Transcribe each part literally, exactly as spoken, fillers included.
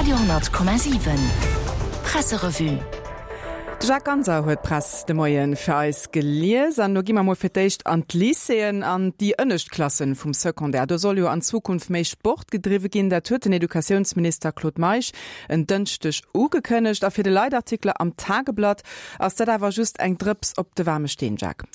Radio honnert Komma siwen Presserevue. De Jacques Ganser huet d'Press de Moien fir eis gelies an do gi mer mol fir d'éischt an d'Lycéeën an déi ënnescht Klassen vum Secondaire. Do soll jo an Zukunft méi Sport gedriwwe ginn, dat huet den Educatiounsminister Claude Meisch en Dënschdeg ugekënnegt. A fir de Leitartikler am Tageblatt ass dat awer just eng Drëps op de waarme Steen, Jacques.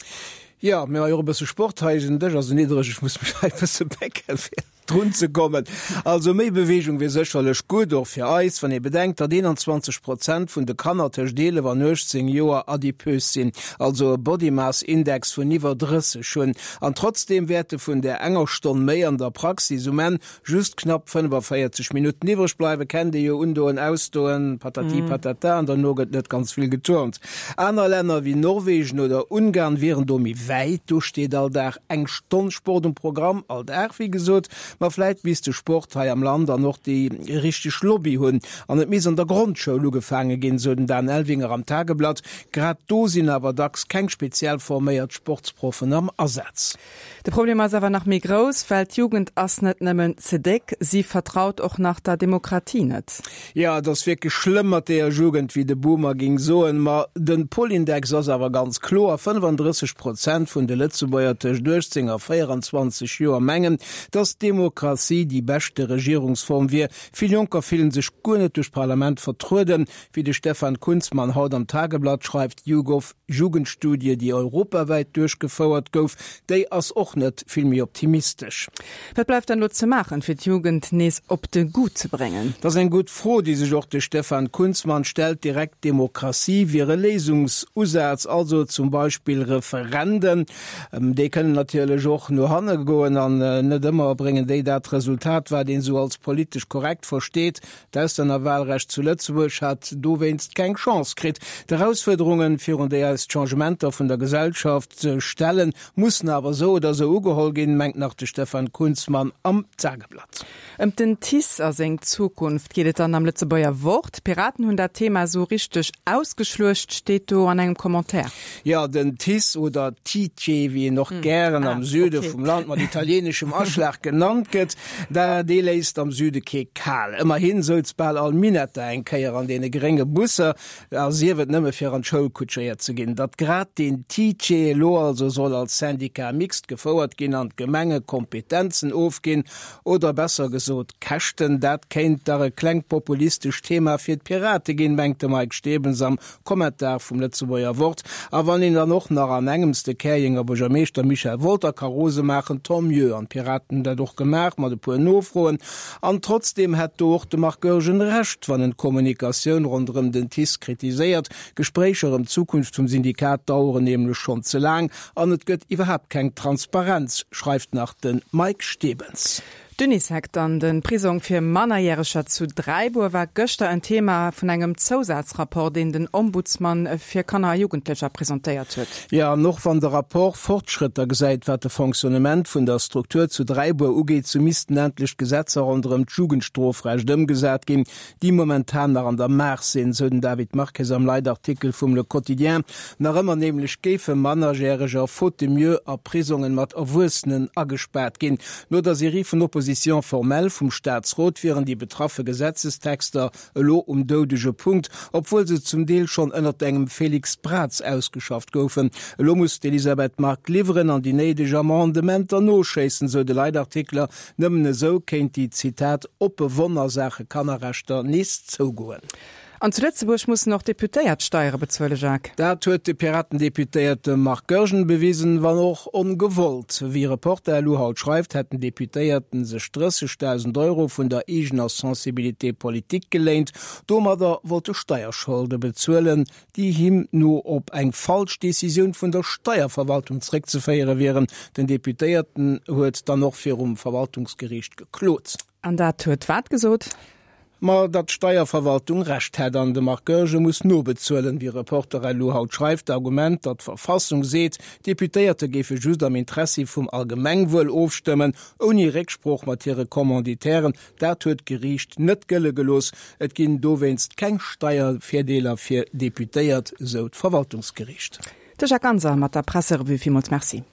Jo, mir hu jo och e bësse Sport hei, den Dësch ass esou niddreg, ech muss mech hei e bësse bécken, fir drun ze kommen. Also méi Beweegung wier sécherlech gutt, och fir eis, wann ee bedenkt, datt eenanzwanzeg Prozent vun de Kanner tëscht eelef an uechtzéng Joer adipös sinn, also e Body Mass Index vun iwwer drësseg hunn. An trotzdeem wäerte vun där enger Stonn méi an der Praxis um Enn just knapp fënnefavéierzeg Minutten iwwreg bleiwen. Kennt ee jo, undoen, ausdoen, patati patata, an derno gëtt net ganz vill geturnt. Aner Länner wéi Norwegen oder Ungarn wieren do méi wäit, do steet all Dag eng Stonn Sport um Programm, all Dag wéi gesot. Ma vläit misst de Sport hei am Land dann och déi richteg Lobby hunn an et misst an der Grondschoul ugefaange ginn, sou den Dan Elvinger am Tageblatt. Grad do sinn awer dacks keng speziell forméiert Sportsproffen am Asaz. De Problem ass awer nach méi grouss, well d'Jugend ass net nëmmen ze déck, si vertraut och nach der Demokratie net. Jo, et ass wierklech schlëmm mat deeër Jugend, wéi de Boomer géing soen. Ma den Polindex ass awer ganz kloer, fënnefandrësseg Prozent vun de Lëtzebuerger tëscht uechtzéng a véieranzwanzeg Joer mengen, datt d'Demokratie déi beschte Regierungsform wier. Vill Jonker fillen sech guer net duerch d'Parlament vertrueden, wéi de Stefan Kunzmann haut am Tageblatt schreift. D'YouGov Jugendstudie, déi europawäit duerchgefouert gouf, déi ass och net vill méi optimistesch. Wat bleift dann elo ze maachen, fir d'Jugend nees op de Goût ze bréngen? Dat ass eng gutt Fro, déi sech och de Stefan Kunzmann stellt. Direkt Demokratie wier e Léisungsusaz, also zum Beispill Referenden. Déi kënnen natierlech och no hanne goen an net ëmmer bréngen déi dat Resultat, wat een esou als politesch korrekt versteet. D'Auslännerwahlrecht zu Lëtzebuerg hat dowéinst keng Chance kritt. D'Erausfuerderungen, virun déi eis d'Changementer vun der Gesellschaft stellen, mussen awer esou oder esou ugeholl ginn, mengt nach de Stefan Kunzmann am Tageblatt. Ëm den TICE a seng Zukunft geet et dann am Lëtzebuerger Wort. D'Piraten hunn dat Thema esou richteg ausgeschluecht, steet do an engem Commentaire. Jo, den TICE oder Tice, wéi en och gären am Süde vum Land mat italieeneschem Aschlag genannt gëtt, da dee léisst am Süde kee kal. Ëmmerhin souz bal all Minetta eng Kéier an deene grénge Busser, a sief et nëmme fir an d'Schoul kutschéiert ze ginn. Datt grad deen Tice elo also soll als Syndicat mixte gefouert ginn an d'Gemenge Kompetenzen ofginn, oder besser gesot Käschten, dat kéint dach e klengt populistescht Thema fir d'Pirate ginn, mengt de Mike Stebens am Kommentar vum Lëtzebuerger Wort. A wann een dann och nach an engems de Käerjenger Buergermeeschter Michel Wolter ka rose maachen, tant mieux. An d'Piraten hunn dat och gemaach mat e puer Nofroen. An trotzdeem hätt do och de Marc Goergen Recht, wann en d'Kommunikatioun ronderëm den TICE kritiséiert. D'Gespréicher ëm d'Zukunft vum Syndikat daueren nämlech schonn ze laang an et gëtt iwwerhaapt keng Transparenz, schreift nach de Mike Stebens. D'Unisec an de Prisong fir Mannerjäreger zu Dräibuer war gëschter en Thema vun engem Zousazrapport, deen den Ombudsman fir Kanner a Jugendlecher presentéiert huet. Jo, an och wann de Rapport Fortschrëtter gesäit, wat de Fonctionnement vun der Struktur zu Dräibuer ugeet, sou missten endlech d'Gesetzer ronderëm d'Jugendstrofrecht ëmgesat ginn, déi momentan nach an der Maach sinn, sou den David Marques am Leitartikel vum Le Quotidien. Nach ëmmer nämlech géife Mannerjäreger faute de mieux a Prisongen mat Erwuessenen agespaart ginn. No der Serie vun Oppositions formelles vum Staatsrot wieren déi betraffe Gesetzestexter elo um doudege Punkt, obwuel se zum Deel schonn ënnert engem Félix Braz ausgeschafft goufen. Elo muss d'Elisabeth Margue liwweren an déi néideg Amendementer noschéissen, sou de Leitartikler. Nëmmen esou kéint déi, Zitat, oppe Wonn a Saache Kannerrechter nees zougoen. An zu Lëtzebuerg mussen och Deputéiert Steiere bezuelen, Jacques. Dat huet de Piraten-Deputéierte Marc Goergen bewisen, wann och ongewollt. Wéi Reporter elo haut schreift, hätt den Deputéierten sech drëssegdausend Euro vun der eegener Sensibilité politique geléint. Domadder wollt e Steierscholde bezuelen, déi him no op eng falsch Decisioun vun der Steierverwaltung zréckzeféiere wieren. Den Deputéierten huet dann och virum Verwaltungsgeriicht geklot. An dat huet wat gesot? Ma datt d'Steierverwaltung Recht hätt an de Marc Goergen muss nobezuelen, wéi Reporter elo haut schreift. D'Argument, datt d'Verfassung seet, d'Deputéierte géife just am Interessi vum Allgemengwuel ofstëmmen, ouni Récksprooch mat hire Commanditairen, dat huet d'Geriicht net gëlle gelooss. Et ginn dowéinst keng Steiervirdeeler fir Deputéiert, sou d'Verwaltungsgeriicht. De Jacques Ganser mat der Presserevue. Villmools Merci.